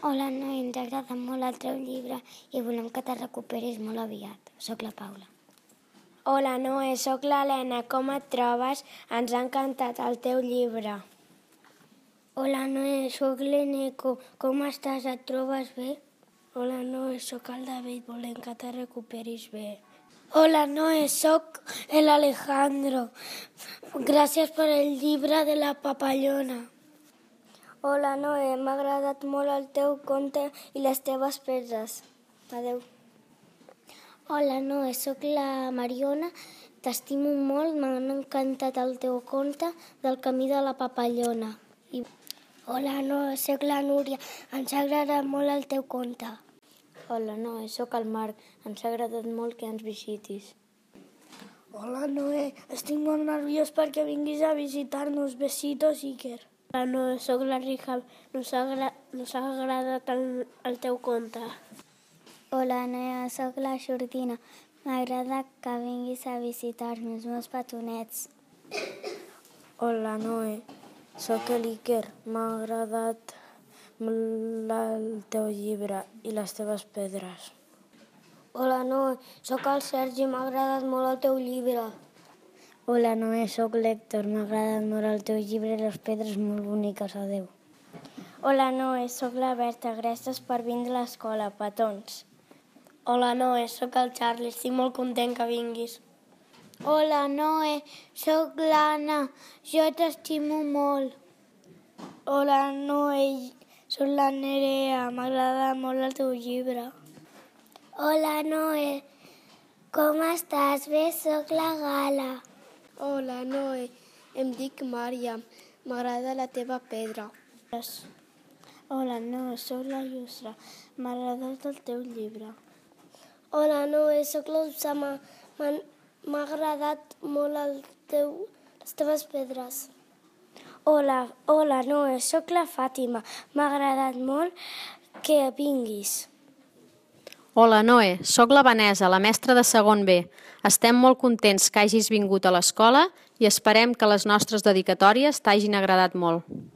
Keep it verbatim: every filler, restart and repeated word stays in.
Hola, Noé, ens agrada molt el teu llibre i volem que te recuperis molt aviat. Soc la Paula. Hola, Noé, soc l'Helena. Com et trobes? Ens ha encantat el teu llibre. Hola, Noé, soc l'Eneco. Com estàs? Et trobes bé? Hola, Noé, soc el David. Volem que te recuperis bé. Hola, Noé, soc l'Alejandro. Gràcies per el llibre de la papallona. Hola, Noé, m'ha agradat molt el teu conte i les teves pedres. Adéu. Hola, Noé, soc la Mariona. T'estimo molt, m'ha encantat el teu conte del camí de la papallona. I... Hola, Noé, soc la Núria. Ens ha agradat molt el teu conte. Hola, Noé, soc el Marc. Ens ha agradat molt que ens visitis. Hola, Noé, estic molt nerviós perquè vinguis a visitar-nos. Besitos, Iker. Hola, Noé, soc la Rija. Nos ha, agra... Nos ha agradat el, el teu conte. Hola, Noé, soc la Jordina. M'agrada que vinguis a visitar-nos, meus petonets. Hola, Noé, soc l'Iker. M'ha agradat molt el teu llibre i les teves pedres. Hola, Noé, soc el Sergi. M'ha agradat molt el teu llibre. Hola, Noé, soc l'Hèctor. M'ha agradat molt el teu llibre i les pedres molt boniques. Adéu. Hola, Noé, soc la Berta. Gràcies per vindre a l'escola, petons. Hola, Noé, soc el Charlie. Estic molt content que vinguis. Hola, Noé, soc l'Anna. Jo t'estimo molt. Hola, Noé, soc la Nerea. M'agrada molt el teu llibre. Hola, Noé, com estàs? Bé, soc la Gala. Hola, Noé, em dic Màriam. M'agrada la teva pedra. Hola, Noé, soc la Yusra. M'ha agradat el teu llibre. Hola, Noé, soc l'Usama. M'ha agradat molt el teu, les teves pedres. Hola, hola, Noé, soc la Fàtima. M'ha agradat molt que vinguis. Hola, Noé, soc la Vanessa, la mestra de segon B. Estem molt contents que hagis vingut a l'escola i esperem que les nostres dedicatòries t'hagin agradat molt.